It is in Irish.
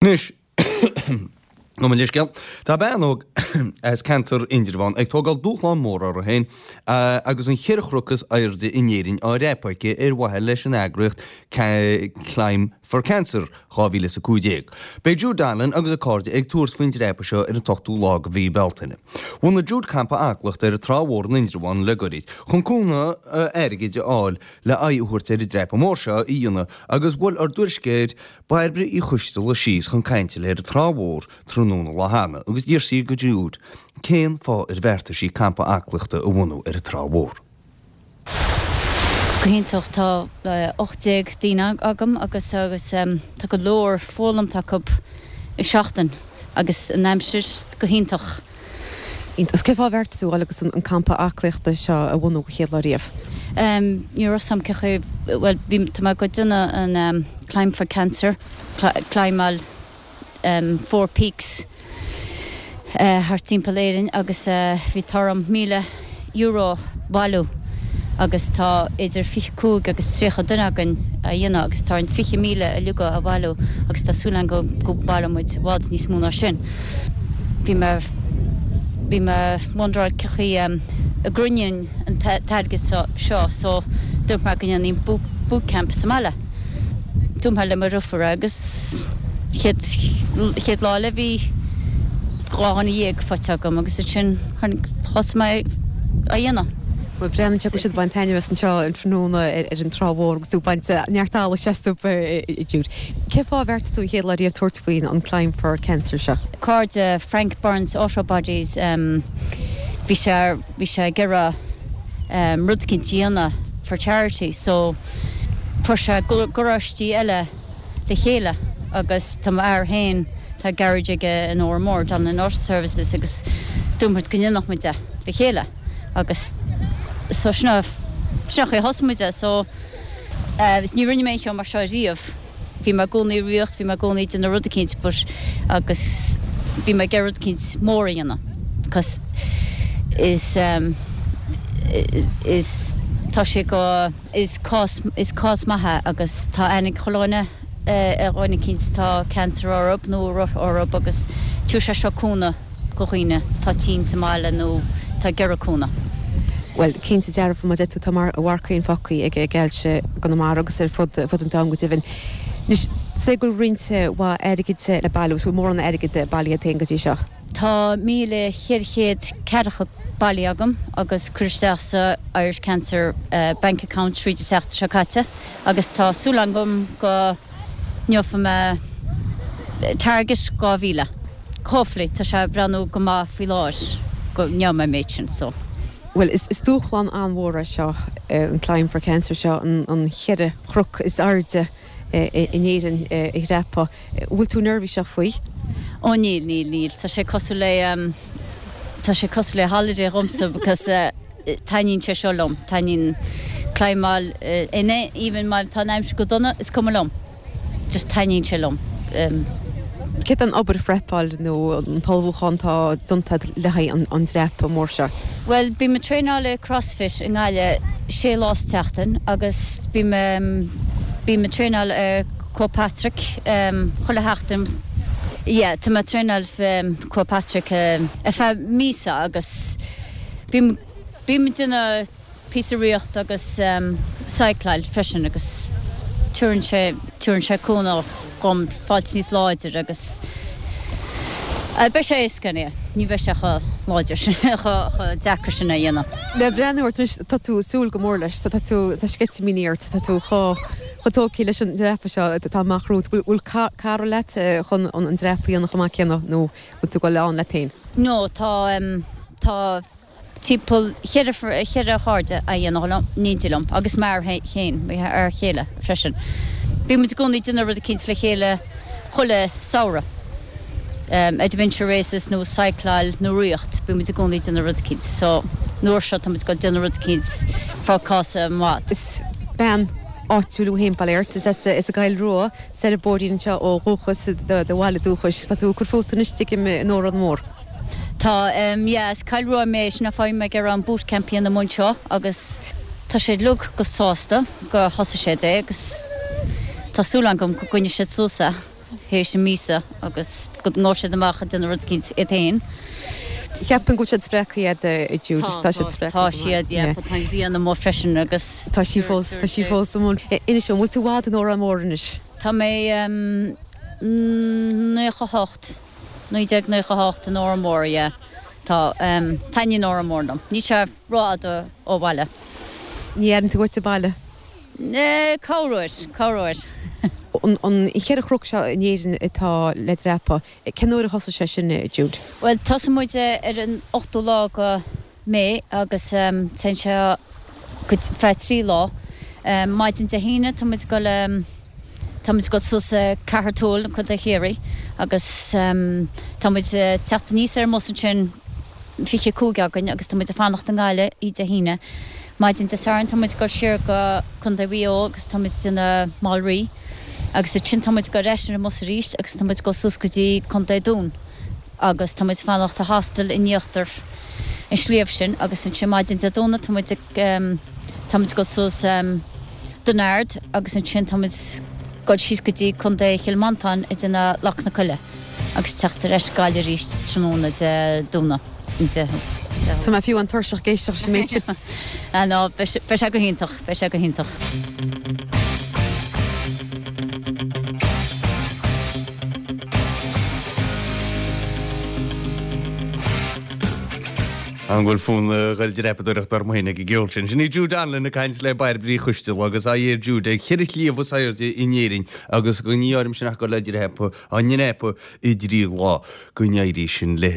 Anois, gabh mo leithscéal, tá bean óg as ceantar Indreabhán ag tógáil dúshlán mór uirthi féin agus an cheithre chnoc is airde in Éirinn á dhreapadh aici ar mhaithe leis an eagraíocht Climb for Cancer 2015. Beidh Jude Donnellan agus a cairde ag tabhairt faoin dreapadh seo ar an t-ochtú lá de mhí Bealtaine. Bhunaigh Jude campa aclaíochta ar an Trá Mhór in Indreabhán le goirid chun cúnamh airgid a fháil le aghaidh a thabhairt ar an dreapadh mór seo a dhéanamh agus bhuail ár dtuairisceoir Bairbre Uí Choisteala síos chun cainte léi ar an Trá Mhór tráthnóna lá cheana agus d'iarr sí de Jude cén fáth ar bheartaigh sí campa aclaíochta a bhunú ar an Trá Mhór. Go hiontach, tá 18 daoine agam agus agus tá go leor foghlamtha acu i seachtain agus an aimsir go hiontach. Iontach. Cén fáth ar bheartaigh tú a dhul agus an campa aclaíochta seo a bhunú go chéad lá riamh? Ní raibh 's a'm cé chaoi, bhuel bhí, tá mé ag déanamh an Climb for Cancer, climbáil Four Peaks thart timpeall Éirinn agus bhí t-ádh orm €1,000 a bhailiú agus tá idir 25 agus 30 duine againn á dhéanamh agus tá orainn 20,000 uilig a bhailiú agus tá súil againn go go mbaileoidh muid i bhfad níos mó ná sin. Bhí mé bhí mé wonderáil cé chaoi a gcruinneoinn an t-airgead seo so dúirt mé go ndéanfainn boot camp sa mbaile. Dúirt mé le mo dheirfiúr agus chéad chéad lá eile bhí 12 dhuine faighte agam agus ansin thosaigh mé á dhéanamh. Bhuel, breathnaíonn sé go bhfuil siad ag baint taitneamh as anseo an tráthnóna ar an Trá Mhór agus tú ag baint neart allais astu, a Jude. Cén fáth ar bheartaigh tú an chéad lá riamh tabhairt faoin an Climb for Cancer seo? Cairde Frank Burns Auto Bodies, bhí sé bhí sé ag iarraidh rud eicínt a dhéanamh for charity so fuair sé garáistí eile le chéile agus tá m'fhear féin, tá garage aige in Órán Mór, Donnellan Auto Services agus dúirt muid go ndéanfadh muid é le chéile agus so sin an sin an chaoi a thosaigh muid é so ní rinne mé aon cheo mar seo riamh. Bhí mé i gcónaí ag ritheacht, bhí mé i gcónaí ag déanamh rud eicínt but agus bhí mé ag iarraidh rud eicínt mór a dhéanamh cos is is tá sé go Is cás, is cás maith é agus tá aithne ag chuile dhuine ar dhuine eicínt atá cancer orthub nó orthub agus tabharfaidh sé seo cúnamh go dhaoine atá tinn sa mbaile nó atá ag iarraidh cúnamh. Bhuel, cinnte dearfa, mar a deir tú, tá a mharc féin fágtha ag ailse i gConamara agus ar fud an domhain go deimhin. Anois, sé go bhfuil roinnt mhaith airgid le bailiú, is bhfuil mórán airgid bailithe agat féin go dtí seo? Tá 1,440 bailithe agam agus curtha isteach sa Irish Cancer Bank Account tríd an tseachtain seo caite agus tá súil agam go ngeobhaidh mé target 2,000. Hopefully, tá sé ag breathnú go maith faoi láthair go ngeobhaidh mé an méid sin so. Bhuel, is dúshlán an-mhór é seo, an Climb for Cancer seo, an cheithre chnoc is airde in Éirinn a dhreapadh. Bhfuil tú neirbhíseach faoi? Ó níl, níl, níl. Tá sé cosúil le, tá sé cosúil le holiday dhomsa because taitníonn sé seo liom. Taitníonn climbáil in even má tá an aimsir go dona, is cuma liom. Just taitníonn sé liom. Céard é an obair phreapáil nó an t-ullmhúchán atá déanta agat le haghaidh an dreapadh mór seo? Bhuel, bím ag traenáil i CrossFit i nGaillimh sé lá sa tseachtain agus bím bím ag traenáil i Croagh Patrick chuile sheachtain. Yeah, tá mé ag traenáil Croagh Patrick ar feadh míosa agus bím bím ag déanamh píosa ritheacht agus cycláil freisin agus tabharann sé tabharann sé cúnamh dhom fáilt níos láidir agus beidh sé éasca anyway, ní bheidh sé chomh láidir sin chomh deacair sin a dhéanamh. Le breathnú ort anois tá tú ag súil go mór leis, tá tú tá sceitimíní ort, tá tú chomh chomh tógtha leis an dreapadh seo atá amach romhat. Bhfuil cara leat chun an dreapadh a dhéanamh chomh maith céanna nó bhfuil tú ag dul ann leat féin? No, tá tá timpeall cheithre chairde á dhéanamh liom, in éindí liom, agus m'fhear féin, m'fhear chéile freisin. Bíonn muid i gcónaí ag déanamh rud eicínt le chéile chuile samhradh, adventure races nó cycláil nó ritheacht, bíonn muid i gcónaí ag déanamh rud eicínt. So, an uair seo tá muid ag dul déanamh rud eicínt for cause maith. Is bean áitiúil thú féin, bail ort, is as an gCoill Rua, soir an bóithrín anseo ó dhúchas, do bhaile dúchais. Tá tú ag cur fút anois, tuigim, in Órán Mór. Tá, yeah, as Cill Rua mé, sin an fáth mé ag iarraidh an boot camp a dhéanamh anseo agus tá siad uilig go sásta gur thosaigh siad é agus tá súil agam go gcoinneoidh siad suas é. Théis an míosa agus go ngabhfaidh siad amach ag déanamh rud eicínt iad féin. Cheapfainn go bhfuil siad spreagtha iad a Jude. Tá, tá siad spreagtha. Tá siad, yeah, but tá an ghrian amuigh freisin agus. Tá sí fós, tá sí fós amuigh. Inis dom, an bhfuil tú i bhfad in Órán Mór anois? Tá mé 98, 1998 in Órán Mór, yeah. Tá, taitníonn Órán Mór liom. Níl sé rófhada ó bhaile. Ní airíonn tú uait an baile? Corruair, corruair. An cheithre chnoc seo in Éirinn atá le dreapadh, cén uair a thosaigh sé sin, Jude? Bhuel, tosaíonn muid ar an ochtú lá de May agus téann sé go feadh trí lá. Maidin Dé hAoine tá muid ag dul, tá muid ag dul suas Ceathrú Tuathail i gContae Chiarraí agus tá muid ag teacht aníos ar an mbus ansin, 25 againn agus tá muid ag fanacht i nGaillimh oíche Dé hAoine. Maidin Dé Sathairn tá muid ag dul siar go Contae Mhaigh Eo agus tá muid ag déanamh Mol Rí agus ansin tá muid ag dul ar ais ar an mbus arís agus tá muid ag dul suas go dtí Contae Dún agus tá muid ag fanacht i hostel in íochtar an sliabh sin agus ansin maidin Dé Domhnaigh tá muid ag tá muid ag dul suas Dún Ard agus ansin tá muid ag dul síos go dtí Contae Chill Mhantáin ag déanamh Leac na Coille. agus teacht ar ais Gaillimh arís tráthnóna Dé Domhnaigh. Tá mé fiú an-tuirseach ag éisteacht leis an méid sin. Ah no, beidh sé go hiontach, beidh sé go hiontach. An bhfuil fonn a ghoil dreapadóireachta orm féin ag an gceol sin? Sin í Jude Donlan ag caint le Bairbre Uí Choisteala agus aghaidh ar Jude ag cheithre shliabh is airde in Éirinn agus ní áirim sin ach ag goil le dreapadh á ndreapadh i dtrí lá go n-éirí sin léi.